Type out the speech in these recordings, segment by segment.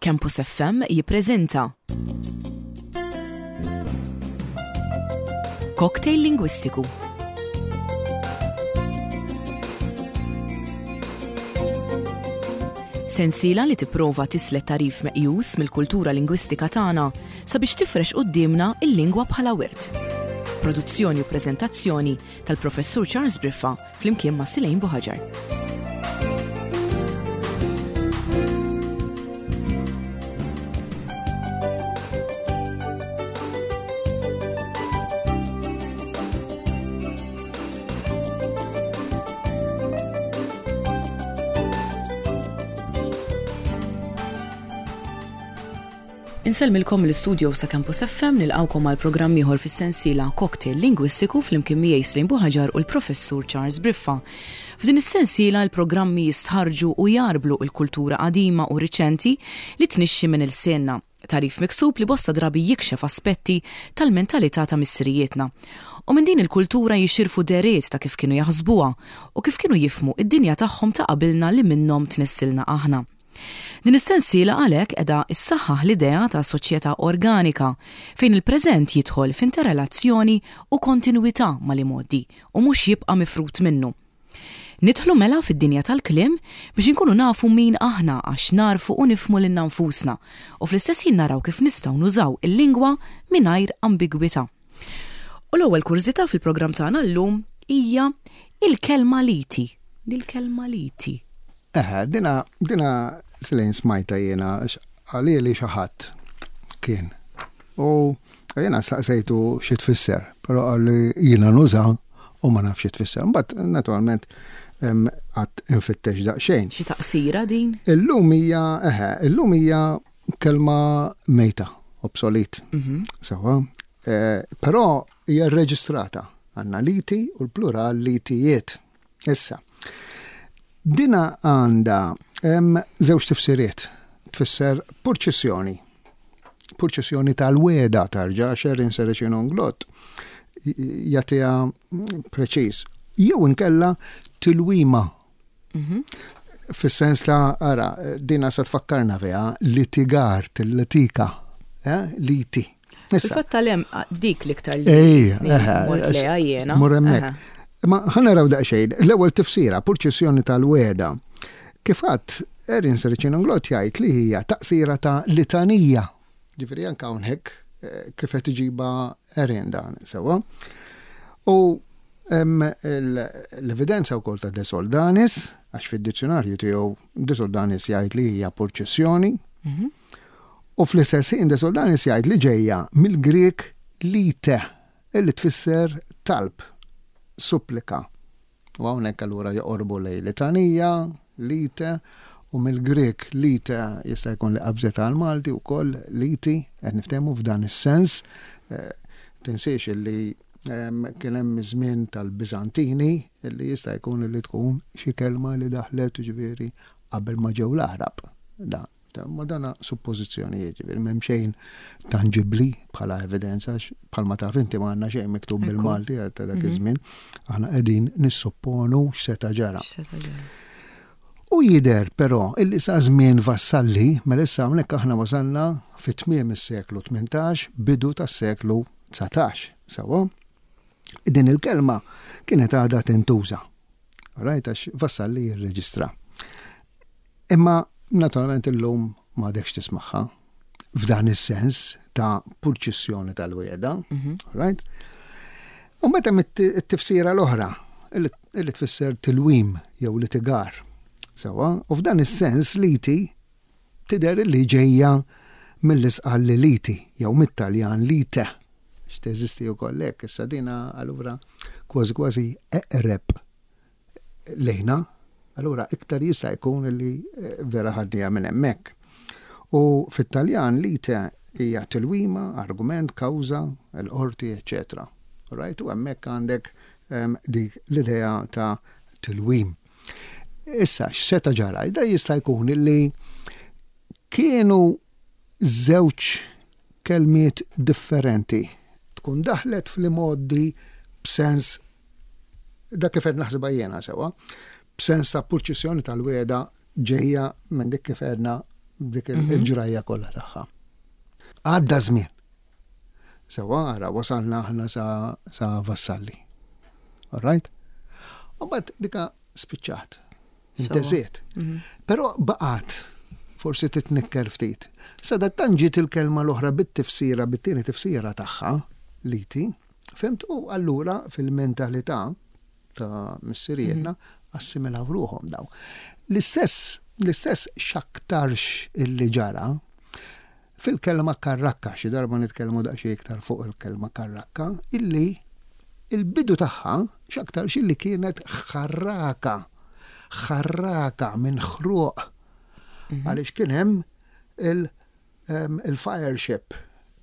Campus FM jippreżenta Cocktail Lingwistiku. Sensiela li tipprova tislet tagħrif meqjus mill-kultura lingwistika tagħna sabiex tifrex quddiemna l-lingwa bħala wirt. Produzzjoni u preżentazzjoni tal-Professur Charles Briffa flimkien ma' Silejn Buħaġar. Insellmilkom mill-istudio sa' Campus FM nilqgħukom għal programm ieħor fis-sensiela Cocktail Lingwistiku flimkien miegħi Slim Buħaġar u l-Professur Charles Briffa. F'din is-sensiela l-programmi jistħarrġu u jgħarblu l-kultura qadima u riċenti li tnixxi minn ilsienna. Tagħrif miksub li bosta drabi jikxef aspetti tal-mentalità ta' missirijietna. U minn din il-kultura jixirfu dehriet ta' kif kienu jaħsbuha u kif kienu jifhmu d-dinja tagħhom ta' qabilna li minnhom tnissilna aħna. Din is-sensiela għalhekk qiegħda ssaħħaħ l-idea ta' soċjetà organika fejn il-preżent jidħol f'interrelazzjoni u kontinwità mal-imgħoddi u mhux jibqa' mifrud minnu. Nidħlu mela fid-dinja tal-kliem biex inkunu nafu min aħna għax nagħrfu u nifhmu lilna nfusna u fl-istess ħin naraw kif nistgħu nużaw il-lingwa mingħajr ambigwità. U l-ewwel kurżità fil-programm tagħna llum hija il-kelma liti. Dil-kelma liti. Eħe, dina, dina Selin smajta jiena għalili xi ħadd kien. U jiena staqsejtu xi tfisser, però qalli jiena nuża u ma nafx xi tfisser. Mbagħad naturalment għad infittex daqsxejn. Xi taqsira din? Illum hija, eħe, illum hija kelma mejta, obsolet. Mhm. Sewa. Eh, però hija rreġistrata għandna liti u l-plural litijiet. Issa, dina għandha żewġ tifsiriet. Tfisser purċissjoni. Purċissjoni tal-weda tarġa' Sherin Sericin Onglot jagħtiha preċiż. Jew inkella tilwima. Mhm. Fis-sens ta' ara, dina se tfakkarna fiha litigar, til-litika, eh, liti. Fil-fatt tal-hemm dik l-iktar li mort leha jiena. Mur hemmhekk. Ma ħa naraw daqsxejn, l-ewwel tifsira, purċissjoni tal-wegħda. Kif għadt, Erin Sericin-Unglot jgħid li hija taqsira ta' litanija. Ġifieri anke hawnhekk eh, kif qed iġibha Erin dan sewwa. U hemm l-evidenza wkoll ta' De Soldanis, għax fid-dizzjonarju tiegħu De Soldanis jgħid li hija purċissjoni. Mhm. U fl-istess ħin De Soldanis jgħid li ġejja mill-Grieg lite, illi tfisser talb, supplika. U hawnhekk allura joqorbu lejn litanija, lite, u mill-Grieg lite jista' jkun li qabżet għall-Malti wkoll liti, qed niftehmu f'dan is-sens. Tinsiex illi kien hemm iż-żmien tal-Biżantini illi jista' jkun illi tkun xi kelma li daħlet jiġifieri qabel ma ġew l-Għarab. Dan. Ma dana suppożizzjonijiet, ġifieri m'hemm xejn tanġibbli bħala evidenza għax bħalma taf inti ma għandna xejn miktub bil-Malti ta' dak mhm. iż-żmien, aħna qegħdin nissupponu x'seta' ġara. U jidher però illi sa żmien Vassalli, mela issa hawnhekk aħna wasalna fi tmiem is-seklu 18, bidu tas-seklu 19, sewwa? Din il-kelma kienet għadha tintuża. Right, għax Vassalli jirreġistra. Imma naturalment illum m'għadekx tismagħha f'dan is-sens ta' purċissjoni tal-wiegħda, mhm. right? U meta hemm it-tifsira l-oħra li tfisser tilwim jew litigar. Sewa, u f'dan is-sens liti tidher li ġejja mill-isqal li liti jew mit-Taljan lite. X'teżisti wkoll hekk, issa dina allura kważi kważi eqreb lejna, allura iktar jista' jkun li eh, vera ħadniha minn hemmhekk. U fit-Taljan lite hija tilwima, argument, kawża, l-qorti, eċċetera. Right? U hemmhekk għandek ehm, dik l-idea ta' tilwim. Issa, x'seta' ġara? Da jista' jkun li kienu żewġ kelmiet differenti. Tkun daħlet fl-imgħoddi b'sens dak kif qed naħsibha jiena sewwa, b'sens ta' purċissjoni tal-wegħda ġejja minn dik kif għedna dik il-ġrajja kollha tagħha. Għadda żmien. Sewa ara wasalna aħna sa, sa Vassalli. All right? U mbagħad dika spiċċat. Intesiet. Mhm. Però baqgħet forsi titnikker ftit. Sadattant ġiet il-kelma l-oħra bit-tifsira, bit-tieni tifsira tagħha, liti, fimt u allura fil-mentalità ta' missirietna mhm. assimilaw ruħhom daw. L-istess l-istess x'aktarx illi ġara fil-kelma karrakka, xi darba nitkellmu daqsxejn iktar fuq il-kelma karrakka, illi il-bidu tagħha x'aktarx illi kienet ħarraka, ħarraka minn ħruq. Mhm. Għaliex kien hemm il-fire ship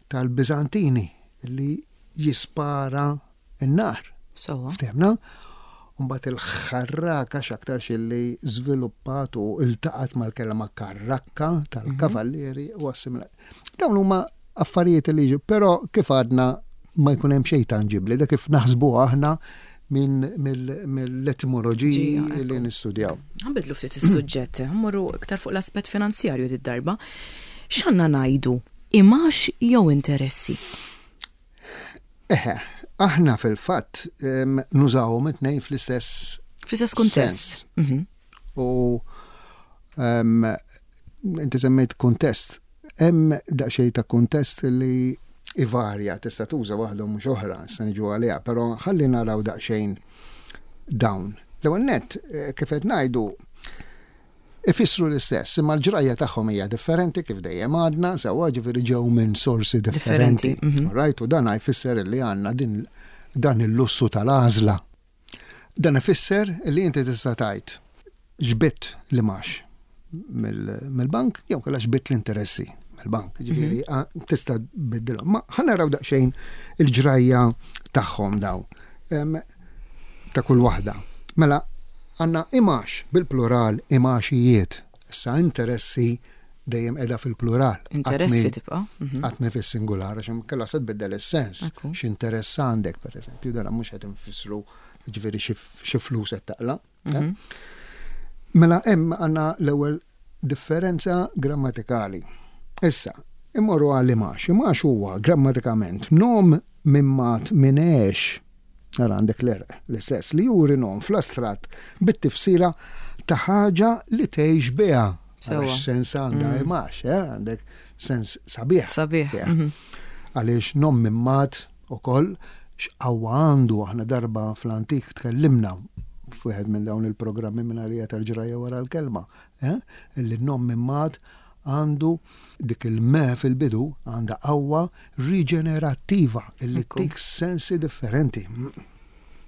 tal-Biżantini li jispara n-nar. Sewwa. Ftehmna? Mbagħad il-ħarraka x'aktarx illi żviluppat u iltaqgħet mal-kelma karrakka tal-kavallieri u assimilat. Dawn huma affarijiet li jiġu, però kif għadna ma jkun hemm xejn tanġibbli, dak kif naħsbu aħna minn mill-etimoloġiji li nistudjaw. Ħanbidlu ftit is-suġġett, ħammorru iktar fuq l-aspett finanzjarju did-darba. X'għandna ngħidu? Imax jew interessi? Eħe, aħna fil-fatt nużawhom it-tnejn fl-istess Fl-istess kuntest. Mhm. U inti semmejt kuntest. Hemm daqsxejn ta' kuntest li ivarja, tista' tuża waħda u mhux oħra, se niġu għaliha, però ħalli naraw daqsxejn dawn. L-ewwel nett, eh, kif qed ngħidu, Ifissru l-istess, imma l-ġrajja tagħhom hija differenti kif dejjem għadna, sewwa ġifieri ġew minn sorsi differenti. Mhm. Right, u dan jfisser li għandna din dan il-lussu tal-għażla. Dan ifisser li inti tista' tgħid ġbidt l-imgħax mill-bank jew kellha ġbidt l-interessi mill-bank. Ġifieri mhm. tista' tbiddilhom. Ma ħa naraw daqsxejn il-ġrajja tagħhom daw. Ta' kull waħda. Mela għandna imgħax bil-plural imgħaxijiet. Issa interessi dejjem qiegħda fil-plural. Interessi tibqa'. Mhm. Qatt mhi fis-singular għax inkella se tbiddel is-sens. X'interess għandek pereżempju, dan mhux qed infissru ġifieri xi flus qed taqla'. Eh? Mhm. Mela hemm għandna l-ewwel differenza grammatikali. Issa, immorru għal imax. Imax huwa grammatikament nom mimmat minn għex. Ara għandek l-erq l-istess li juri nom fl-astratt bit-tifsira ta' ħaġa li tgħix biha. Sewwa. Sens għandha mm. imax, eh? għandek sens sabiħ. Sabiħ. Mhm. Għaliex nom mimmat ukoll x'qawwa għandu aħna darba fl-antik tkellimna f'wieħed minn dawn il-programmi minn għalija tal-ġrajja wara l-kelma, eh? Illi n-nom mimmat għandu dik il-me fil-bidu għandha qawwa riġenerattiva illi tik sensi differenti.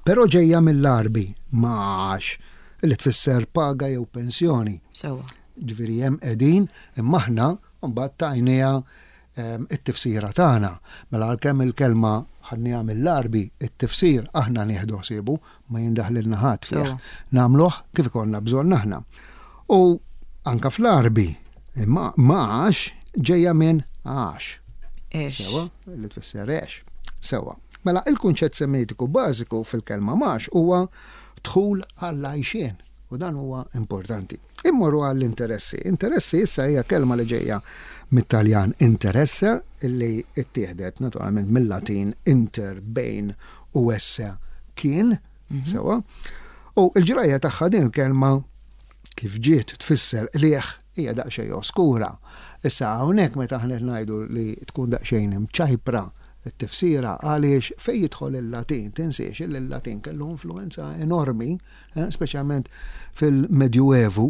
Però ġejja mill-Għarbi ma'għax illi tfisser paga jew pensjoni. Sewwa. Ġifieri hemm qegħdin imma aħna mbagħad tajniha it-tifsira tagħna. Mela għalkemm il-kelma ħadniha mill-Għarbi, it-tifsir aħna nieħdu ħsiebu, ma jindaħlilna ħadd fih. Nagħmluh kif ikollna bżonn aħna. U anka fl-Għarbi, imma ma'għax ġejja minn għax. Sewa, li tfisser għex. Sewa. Mela il-kunċett semitiku bażiku fil-kelma ma'għax huwa dħul għall-għajxien. U dan huwa importanti. Immorru għall-interessi. Interessi issa hija kelma li ġejja mit-Taljan interesse illi ttieħdet naturalment mill-Latin inter bejn u esse kien, mhm. sewa. U l-ġrajja tagħha din il-kelma kif ġiet tfisser qligħ hija daqsxejn oskura. Issa hawnhekk meta aħna qed ngħidu li tkun daqsxejn imċajpra t-tifsira għaliex fejn jidħol il-Latin, tinsiex li l-Latin kellu influenza enormi eh, speċjalment fil-Medjuevu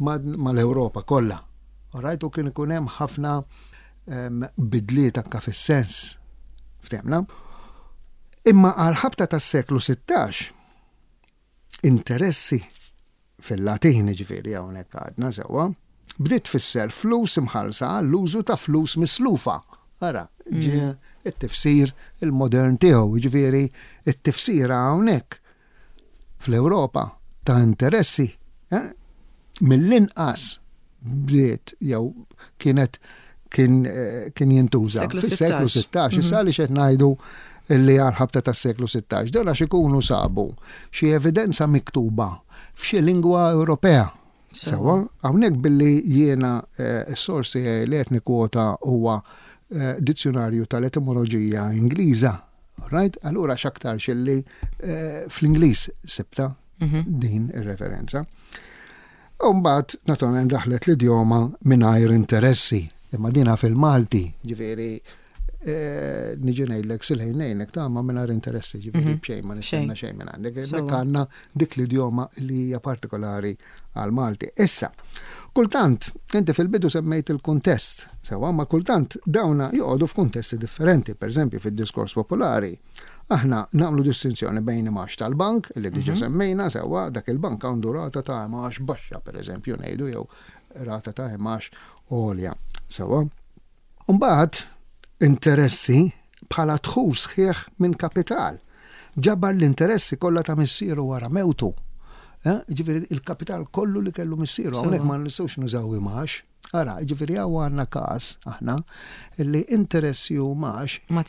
mal-Ewropa kollha. Rajt u kien ikun hemm ħafna ehm, bidliet anka fis-sens. Ftemna. Imma għal ħabta tas-seklu 16 interessi fil-Latin ġifieri hawnhekk għadna sewwa, bdiet tfisser flus imħallsa għall-użu ta' flus mislufa. Ara, ġie mm. it-tifsir il-modern tiegħu, ġifieri it-tifsira hawnhekk fl-Ewropa ta' interessi eh, mill-inqas bdiet jew kienet kien, eh, kien jintuża fis-seklu 16. Issa mhm. għaliex qed ngħidu li għal-ħabta tas-seklu 16. Dan għax ikunu sabu xi evidenza miktuba f'xi lingwa Ewropea. Sewwa, hawnhekk billi jiena eh, s-sors tiegħi li qed nikkwota huwa eh, dizzjonarju tal-etimoloġija Ingliża. Right? Allura x'aktarx illi eh, fl-Ingliż sibta mhm. din ir-referenza. U mbagħad naturalment daħlet l-idjoma mingħajr interessi, imma dina fil-Malti, ġifieri eh, niġi ngħidlek silħin ngħinek ta' ma mingħajr interessi, ġifieri mhm. b'xejn ma nistenna xejn minn għandek. Hemmhekk għandna dik l-idjoma li hija partikolari għal Malti. Issa, kultant, inti fil-bidu semmejt il-kuntest, sewa, ma kultant dawna joqogħdu f'kuntesti differenti, per eżempju fid-diskors popolari. Aħna nagħmlu distinzjoni bejn imgħax tal-bank, li diġa mhm. semmejna sewwa, dak il-bank għandu rata ta' imgħax baxxa, per eżempju, ngħidu jew rata ta' imgħax għolja. Sewwa. Mbagħad interessi bħala dħul sħiħ minn kapital. Ġabar l-interessi kollha ta' missieru wara mewtu. Eh, ġifieri il-kapital kollu li kellu missieru, hawnhekk ma nistgħux nużaw imgħax. Ara, ġifieri hawn għandna każ aħna li interessi u mgħax Ma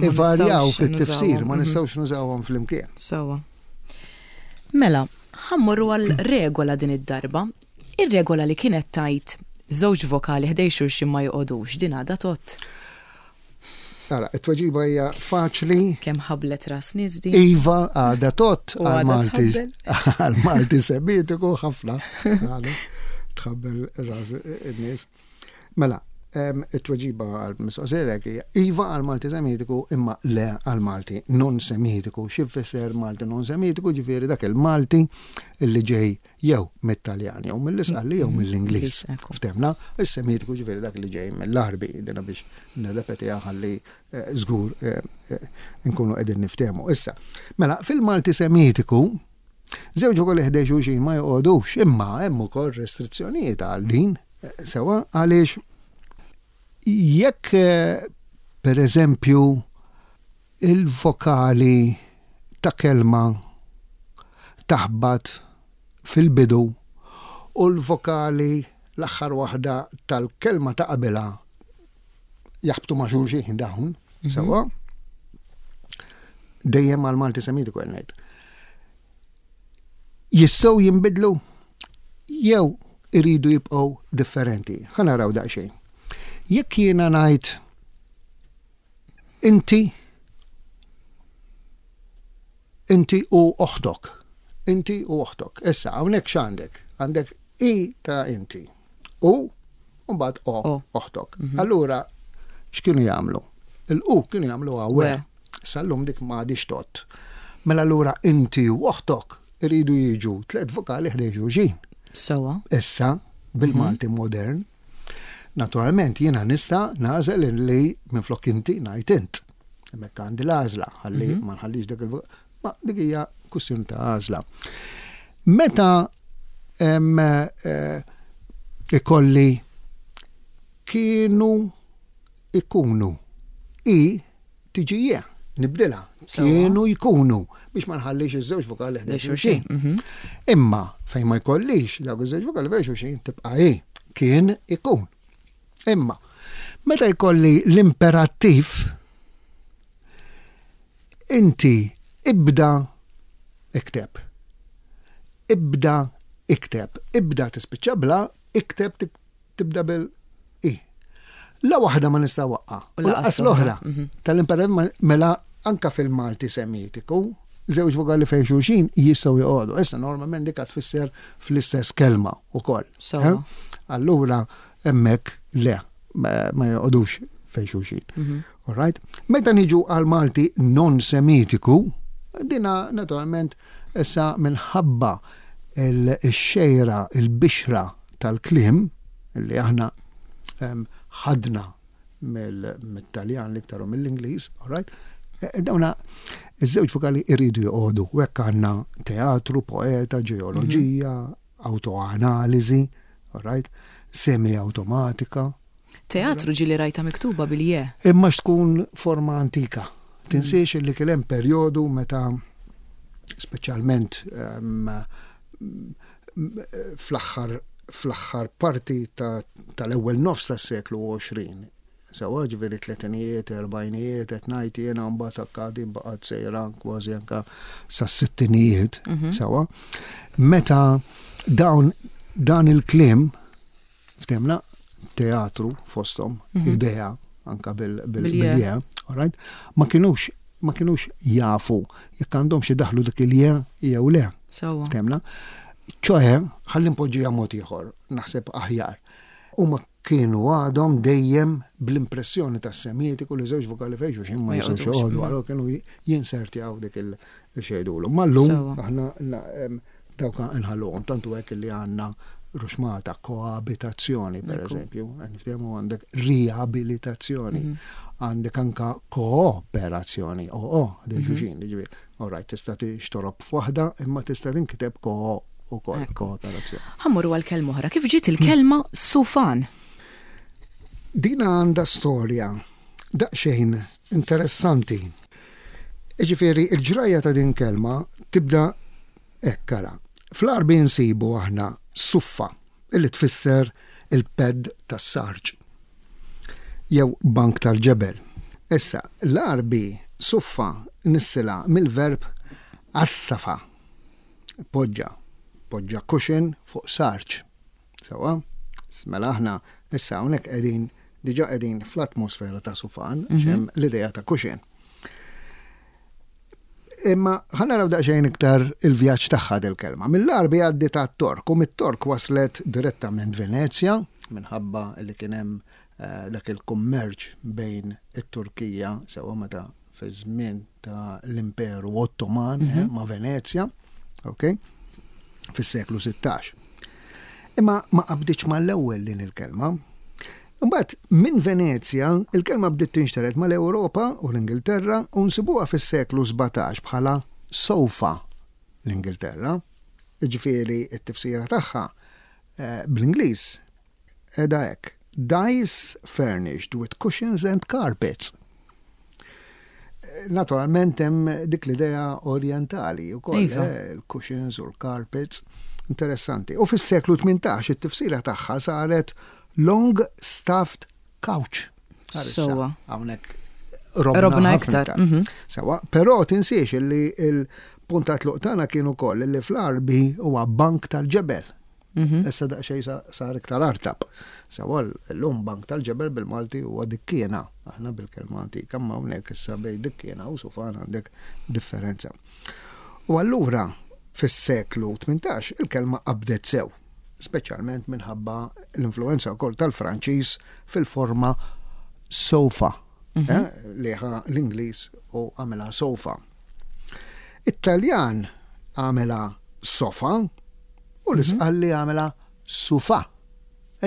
ivarjaw fit-tifsir, ma mhm. nistgħux nużawhom flimkien. Sewwa. Mela, ħammorru għal regola din id-darba. Ir-regola li kienet tajt żewġ vokali ħdej xulxin ma joqogħdux, din għadha tgħodd. Ara, it-tweġiba hija faċli. Kemm ħablet ras nies din? Iva, għadha tgħodd għal-Malti. Għal-Malti semitiku ħafna. Tħabbel ras in-nies. Mela, it-tweġiba għal-mistoqsija hija iva għal-Malti semitiku imma le għal-Malti non semitiku. Xi jfisser Malti non semitiku? Ġifieri dak il-Malti li ġej jew mit-Taljan, jew mill-Isqalli, jew mill-Ingliż. Ftemna, is-Semitiku ġifieri dak li ġej mill-Għarbi, dina biex nirrepetiha ħalli eh, żgur eh, eh, nkunu qegħdin niftehmu. Issa, mela fil-Malti Semitiku, żewġ ukoll ħdej xulxin ma joqogħdux, imma hemm ukoll restrizzjonijiet għal din, sewa għaliex jekk per eżempju Il-vokali ta' kelma taħbat fil-bidu u l-vokali l-aħħar waħda tal-kelma ta' qabilha jaħbtu ma' xulxin dawn, mhm. sewwa? Dejjem għal Malti Semitiku qed ngħid. Jistgħu jinbidlu jew iridu jibqgħu differenti. Ħa naraw daqsxejn. Jekk jiena ngħid Inti, inti u oħtok. Inti u oħtok. Issa, hawnhekk x'għandek? Għandek i ta' inti. U, mbagħad o, oħtok. Mhm. Allura, x'kienu jagħmlu? Il-u kienu jagħmlu għawe. Sal-lum dik ma għadix tot. Mela allura inti u oħtok iridu jiġu tliet vokali ħdejn xulxin. Sewa. Issa, bil-Malti mhm. modern, Naturalment jiena nista' nagħżel li minflok inti ngħid int. Hemmhekk għandi l-għażla ħalli mhm. ma nħallix dak il Ma dik hija kwistjoni ta' għażla. Meta eh, ikolli kienu ikunu i tiġi je, nibdilha. Kienu jkunu biex ma nħallix iż-żewġ vokali ħdejn xulxin. Mhm. Imma fejn ma jkollix dawk iż-żewġ vokali fejn xulxin tibqa' hi. Kien ikun. Imma meta jkolli l-imperattiv inti ibda ikteb. Ibda ikteb. Ibda tispiċċa bla, ikteb Tibda bil i. La waħda ma nista' waqqa. U laqas l-oħra. Mhm. Tal-imperattiv mela anka fil-Malti Semitiku, żewġ vokali fejn xulxin jistgħu joqogħdu. Issa normalment dik tfisser fl-istess kelma wkoll. Eh? Allura hemmhekk le ma joqogħdux fejn xulxin. Mhm. All right? Meta niġu għal Malti non Semitiku, dina naturalment issa minħabba il-xejra, il-bixra tal-kliem li aħna ħadna mit-Taljan l-iktar u mill-Ingliż, all right? E, e, dawna iż-żewġ vokali iridu joqogħdu. U hekk għandna teatru, poeta, ġeoloġija, mhm. autoanaliżi, all right? Semi-automatika. Teatru ġieli rajtha miktuba bil-je. Imma x'tkun forma antika. Tinsiex li kien hemm perjodu meta speċjalment ehm, fl-aħħar fl-aħħar parti tal-ewwel nofs tas-seklu 20. Sewwa ġifieri tletinijiet, erbgħinijiet, qed ngħid jiena mbagħad anka din baqgħet sejra kważi anka sas-sittinijiet, mhm. sewwa. Meta dawn Dan il-kliem, ftehmna, teatru fosthom, idea, anka bil-je, all right, ma kinux ma kinux jafu jekk għandhomx idaħħlu dik il-je jew le. Ftehmna? ċoħe, ħalli npoġġiha mod ieħor, naħseb aħjar. Huma kienu għadhom dejjem bl-impressjoni tas-Semitiku li żewġ vokali fejn xulxin ma jistgħux joqogħdu, allura kienu jinsertjaw dik il-xejdulu. Ma llum aħna dawk nħalluhom tant hu hekk li għandna ruxmata koabitazzjoni per eżempju, niftehmu għandek riabilitazzjoni, għandek anka kooperazzjoni, o o, dej xulxin, jiġifieri, all right, tista' tixtorob f'waħda imma tista' tinkiteb ko ukoll kooperazzjoni. Ħa mmorru għal kelma oħra. Kif ġiet il-kelma sufan? Dina għandha storja daqsxejn interessanti. Jiġifieri l-ġrajja ta' din kelma tibda hekk ara. Fl-Għarbi nsibu aħna suffa illi tfisser il-pedd tas-sarġ jew bank tal-ġebel. Issa, l-Għarbi suffa nissilha mill-verb assafa Poġġa, poġġa cushion fuq sarġ. Sewwa? Mela aħna issa hawnhekk qegħdin diġà qegħdin fl-atmosfera ta' sufan, għax hemm l-idea ta' cushion. Imma ħa naraw daqsxejn iktar il-vjaġġ tagħha dil-kelma. Mill-Għarbi għaddiet għat-Tork u mit-Tork waslet direttament Venezja minħabba li kien hemm eh, dak il-kummerċ bejn it-Turkija sewwa meta fiż-żmien ta' l-Imperu Ottoman eh, ma' Venezja, ok, fis-seklu 16. Imma ma qabditx mal-ewwel din il-kelma. Imbagħad minn Venezja il-kelma bdiet tinxtered mal-Ewropa u l-Ingilterra u nsibuha fis-seklu 17 bħala sofa l-Ingilterra. Jiġifieri t-tifsira tagħha eh, bl-Ingliż Qiegħda hekk, Dais furnished with cushions and carpets. Naturalment hemm dik l-idea orjentali wkoll, iva. eh, il-cushions u l-carpets. Interessanti. U fis-seklu 18 it-tifsira tagħha saret long stuffed couch. Sewa. Hawnhekk robna iktar. Mhm. Sewa, però tinsiex li il-punt ta' tluq tagħna kien ukoll li fl-Arbi huwa bank tal-ġebel. Mhm. Issa daqsxejn sar iktar artab. Sewa llum bank tal-ġebel bil-Malti huwa dikkiena, aħna bil-kelma antika, ma hawnhekk issa bejn dikkiena u sufan għandek differenza. U allura fis-seklu 18 il-kelma qabdet sew, speċjalment minħabba l-influenza wkoll tal-Franċiż fil-forma sofa, mhm. eh, li ħa l-Ingliż u għamilha sofa. It-Taljan għamilha sofa, U l-Isqalli għamilha sufa.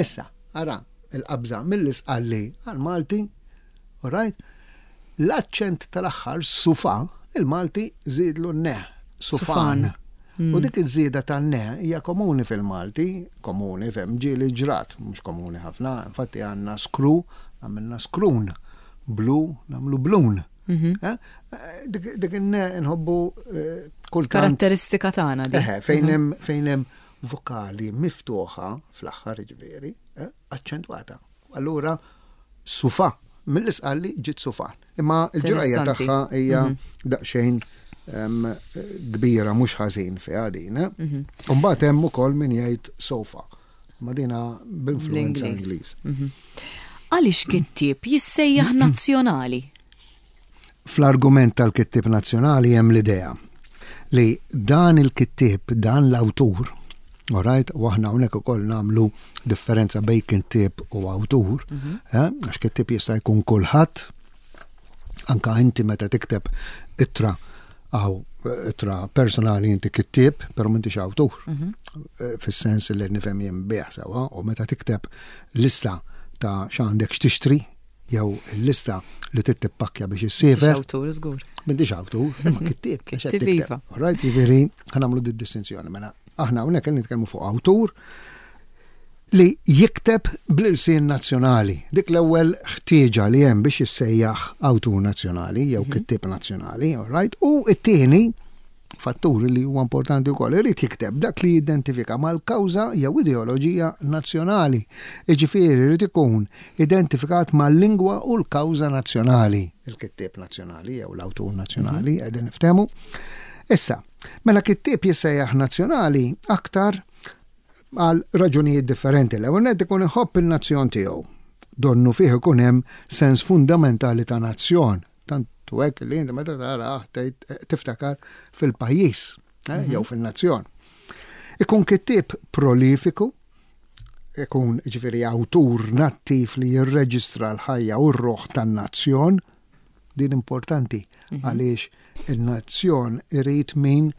Issa, ara, il-qabża mill-Isqalli għall-Malti, all right? L-aċċent tal-aħħar sufa, il-Malti żiedlu n-ne, sufan. U dik iż-żieda tan-ne hija komuni fil-Malti, komuni fem ġieli ġrat, mhux komuni ħafna, infatti għandna skru, għamilna skrun, blu, nagħmlu blun. Mhm. Eh? Dik nħobbu eh, kultant. Karatteristika tagħna di. Fejn mhm. hemm fejn hemm vokali miftuħa fl-aħħar ġifieri, eh, aċċentwata. Allura sufa, mill-isqalli ġiet sufan. Imma l-ġrajja tagħha hija mhm. daqsxejn kbira mhux ħażin fiha din. Imbagħad hemm ukoll min jgħid sofa. Ma dina b'influenza Ingliż. Mhm. Għaliex kittieb jissejjaħ nazzjonali? Fl-argument tal-kittieb nazzjonali hemm l-idea li dan il-kittieb, dan l-awtur, alright, u aħna hawnhekk ukoll nagħmlu differenza bejn kittieb u awtur, mhm. eh, għax kittieb jista' jkun kulħadd, Anka inti meta tikteb ittra għaw ittra personali inti kittieb, pero m'intix awtur. Mhm. Eh, fis-sens li nifhem jien bih sewa, u meta tikteb lista ta' x'għandek x'tixtri, jew il-lista li trid tippakkja biex issiefer. M'intix awtur, żgur. M'intix awtur, imma kittieb. Kittieb iva. Right, jiġifieri ħa nagħmlu distinzjoni mela aħna hawnhekk qed nitkellmu fuq awtur li jikteb bl-ilsien nazzjonali. Dik l-ewwel ħtieġa li hemm biex jissejjaħ awtur nazzjonali jew mhm. kittieb nazzjonali, all right? U t-tieni fattur li huwa importanti wkoll irid jikteb dak li jidentifika mal-kawża jew ideoloġija nazzjonali. Jiġifieri jrid ikun identifikat mal-lingwa u l-kawża nazzjonali, il-kittieb nazzjonali jew l-awtur nazzjonali, mhm. qegħdin niftehmu. Issa, mela kittieb jissejjaħ nazzjonali aktar. Għal raġunijiet differenti. L-ewwel nett ikun iħobb in-nazzjon tiegħu. Donnu fih ikun hemm sens fundamentali ta' nazzjon. Tant u hekk li inti meta tarah tgħid eh, tiftakar fil-pajjiż eh, mhm. jew fin-nazzjon. Ikun kittieb prolifiku, ikun ġifieri awtur nattiv li jirreġistra l-ħajja u r-ruħ tan-nazzjon, din importanti mhm. għaliex il-nazzjon irid min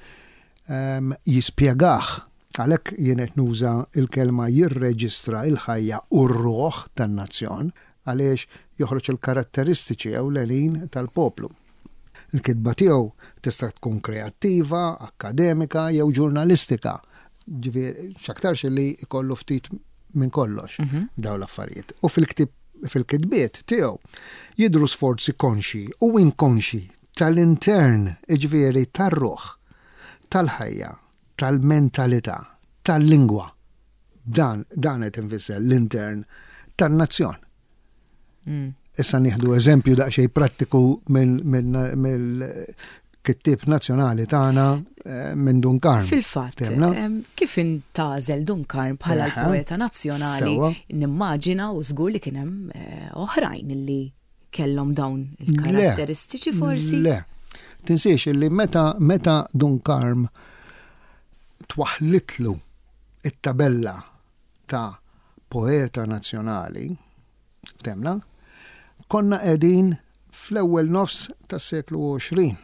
ehm, jispjegah Għalhekk jien qed nuża l-kelma jirreġistra l-ħajja u r-ruħ tan-nazzjon għaliex joħroġ il-karatteristiċi ewlenin tal-poplu. Il-kitba tiegħu tista' tkun kreattiva, akkademika jew ġurnalistika. Ġifieri x'aktarx li jkollu ftit minn kollox mhm. dawn l-affarijiet. U fil-ktib fil-kitbiet tiegħu jidhru sforzi konxji u inkonxji tal-intern, jiġifieri tar-ruħ, tal-ħajja, tal-mentalità, tal-lingwa. Dan, dan qed infisser l-intern tan-nazzjon. Mm. Issa nieħdu eżempju daqsxejn prattiku mill-kittieb nazzjonali tagħna eh, minn Dun Karm. Fil-fatt, kif intgħażel Dun Karm bħala l-poeta nazzjonali, nimmaġina u żgur li kien hemm eh, oħrajn li kellhom dawn il-karatteristiċi forsi? Le. Tinsiex li meta meta Dun Karm twaħlitlu it-tabella ta' poeta nazzjonali, temna, konna qegħdin fl-ewwel nofs tas-seklu 20.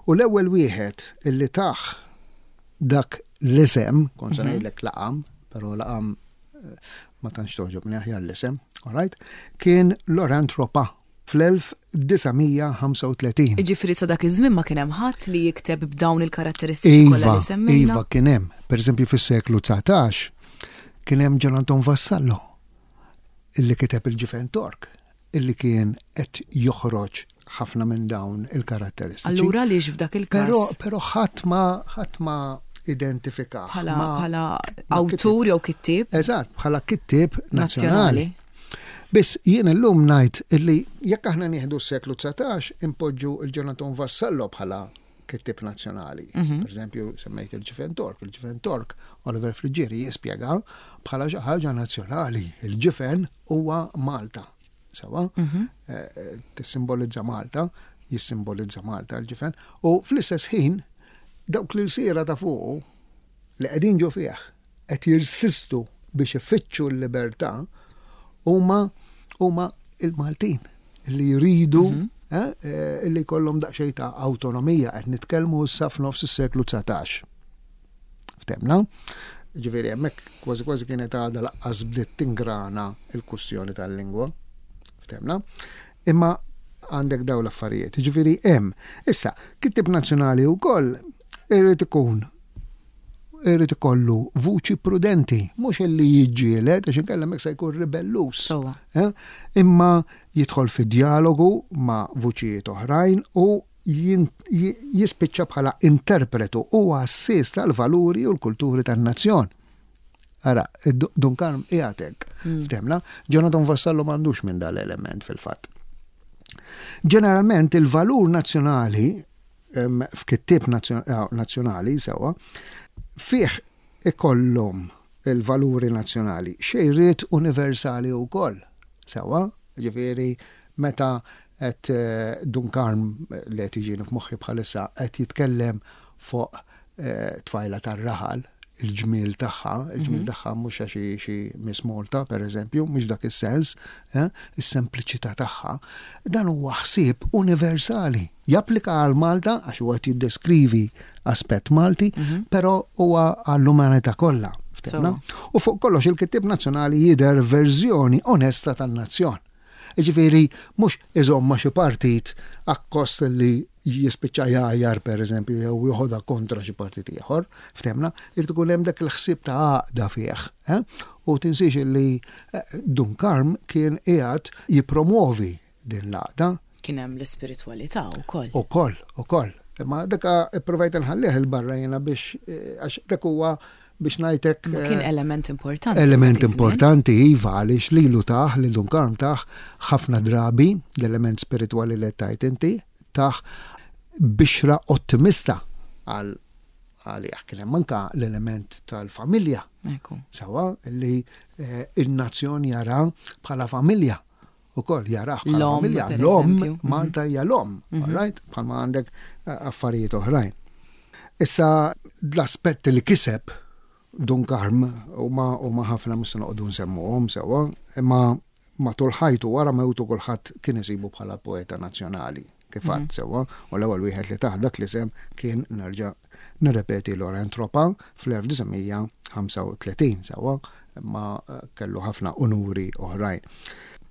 U l-ewwel wieħed illi tah dak l-isem, kont se mhm. ngħidlek laqam, però laqam eh, ma tantx toġobni aħjar l-isem, all right, kien Laurent Ropa fl-1935. Jiġifieri sa dak iż-żmien ma kien hemm ħadd li jikteb b'dawn il-karatteristiċi kollha li semmejna? Iva, kien hemm. Pereżempju fis-seklu 19 kien hemm Gian Anton Vassallo illi kiteb il-Ġifen Tork illi kien qed joħroġ ħafna minn dawn il-karatteristiċi. Allura għaliex f'dak il-każ? Però però ħadd ma ħadd ma identifikah. Bħala bħala awtur jew kittieb. Eżatt, bħala kittieb nazzjonali. Biss jien illum ngħid illi jekk aħna nieħdu s-seklu 19 impoġġu il-Ġonaton Vassallo bħala kittieb nazzjonali. Mhm. Per eżempju, semmejt il-Ġifen Tork. Il-Ġifen Tork, Oliver Friggieri jispjega bħala xi ħaġa nazzjonali. Il-ġifen huwa Malta. Sewa, mhm. eh, eh, tissimbolizza Malta, jissimbolizza Malta l-ġifen, u fl-istess ħin dawk li l-sira ta' fuqu li qegħdin ġo fih qed jirsistu biex ifittxu l-libertà huma huma il-Maltin li jridu mhm. eh, li jkollhom daqsxejn ta' awtonomija qed nitkellmu issa f'nofs is-seklu 19. Ftemna? Ġifieri hemmhekk kważi kważi kienet għadha laqqas bdiet tingrana l-kwistjoni tal-lingwa. Ftemna? Imma għandek daw l-affarijiet. Ġifieri hemm. Issa, kittieb nazzjonali wkoll irid ikun irid ikollu vuċi prudenti, mhux illi jiġġieled għax inkella hemmhekk se jkun ribelluż. Eh? Imma jidħol fi djalogu ma' vuċijiet oħrajn u jispiċċa bħala interpretu u għassies tal-valuri u l-kulturi tan-nazzjon. Ara, Dun Karm qiegħed hekk. Mm. Ftemna, Jonathan Vassallo m'għandux minn dal-element fil-fatt. Ġeneralment il-valur nazzjonali f'kittieb eh, nazzjonali sewwa fih ikollhom il-valuri nazzjonali xejriet universali wkoll. Sewwa, ġifieri meta qed Dun Karm li qed jiġini f'moħħi bħalissa qed jitkellem fuq tfajla tar-raħal, il-ġmiel tagħha, il-ġmiel mhm. tagħha mhux għax xi Miss Malta, pereżempju, mhux dak is-sens, eh, is-sempliċità tagħha, dan huwa ħsieb universali. Japplika għal Malta għax huwa qed jiddeskrivi aspett Malti, mhm. però huwa għall-umanità kollha. U fuq kollox il-kittieb nazzjonali jidher verżjoni onesta tan-nazzjon. Jiġifieri mhux iżomm ma' xi partit akkost li jispiċċa jgħajjar pereżempju jew joħodha kontra xi partit ieħor, ftehmna, irid ikun hemm dak il-ħsieb ta' għaqda fih. Eh? U tinsiex li eh, Dun Karm kien qiegħed jippromovi din l-għaqda. Kien hemm l-ispiritwalità wkoll. Ukoll, ukoll. Imma dak ipprovajt inħallih il-barra jiena biex eh, għax dak huwa biex ngħidlek. Ma kien eh, element importanti. Element importanti, iva, għaliex lilu tah, lil Dun Karm tah ħafna drabi l-element spiritwali li tajt inti, tah bixra ottimista għal għalih. Kien hemm anka l-element tal-familja. Sawa li eh, il-nazzjon jara bħala familja ukoll jarah bħala familja. L-om, mhm. Malta hija l-om, mhm. right? Bħalma għandek eh, affarijiet oħrajn. Issa l-aspett li kiseb Dun Karm huma ħafna mhux se noqogħdu nsemmuhom sewwa, imma matul ħajtu wara mewtu kulħadd kien isibu bħala poeta nazzjonali kif għad mhm. sewwa, u l-ewwel wieħed li taħ dak l-isem kien nerġa' nirrepeti Laurent Tropa fl-1935 sewwa, imma eh, kellu ħafna unuri oħrajn.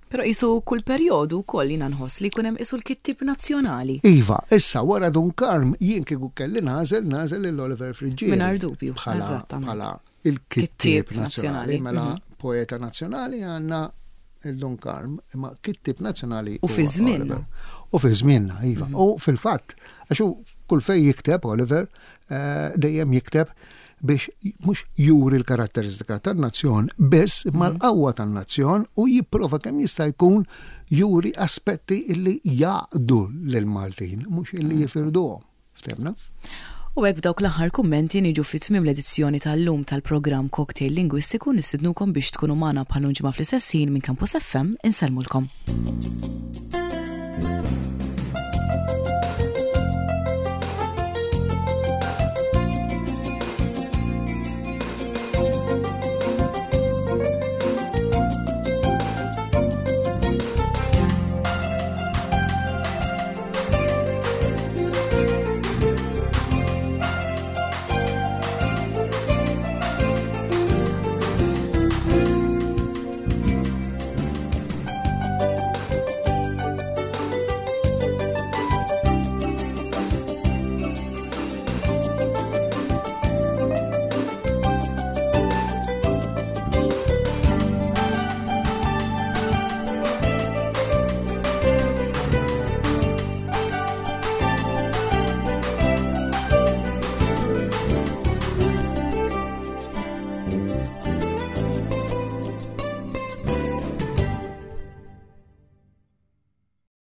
Però qisu kull perjodu wkoll jiena nħoss li jkun hemm qisu l-kittieb nazzjonali. Iva, issa wara Dun Karm jien kieku kelli nagħżel, nagħżel lil Oliver Friggieri. Mingħajr dubju, eżattament. Bħala il-kittieb nazzjonali, mela mhm. poeta nazzjonali għandna il-Dun Karm, imma kittieb nazzjonali. U fi żmienna. U fi żmienna, iva. Mhm. U fil-fatt, għax kull fej jikteb Oliver, eh, dejjem jikteb biex mhux juri l-karatteristika tan-nazzjon biss imma mhm. l-qawwa tan-nazzjon u jipprova kemm jista' jkun juri aspetti illi jaqdu lill-Maltin, mhux illi mhm. jifirduhom. Ftemna? U hekk b'dawk l-aħħar kummenti niġu fi tmiem l-edizzjoni tal-lum tal-programm Cocktail Lingwistiku nistidnukom biex tkunu magħna bħal ġimgħa fl-istess ħin minn Campus FM insellmulkom.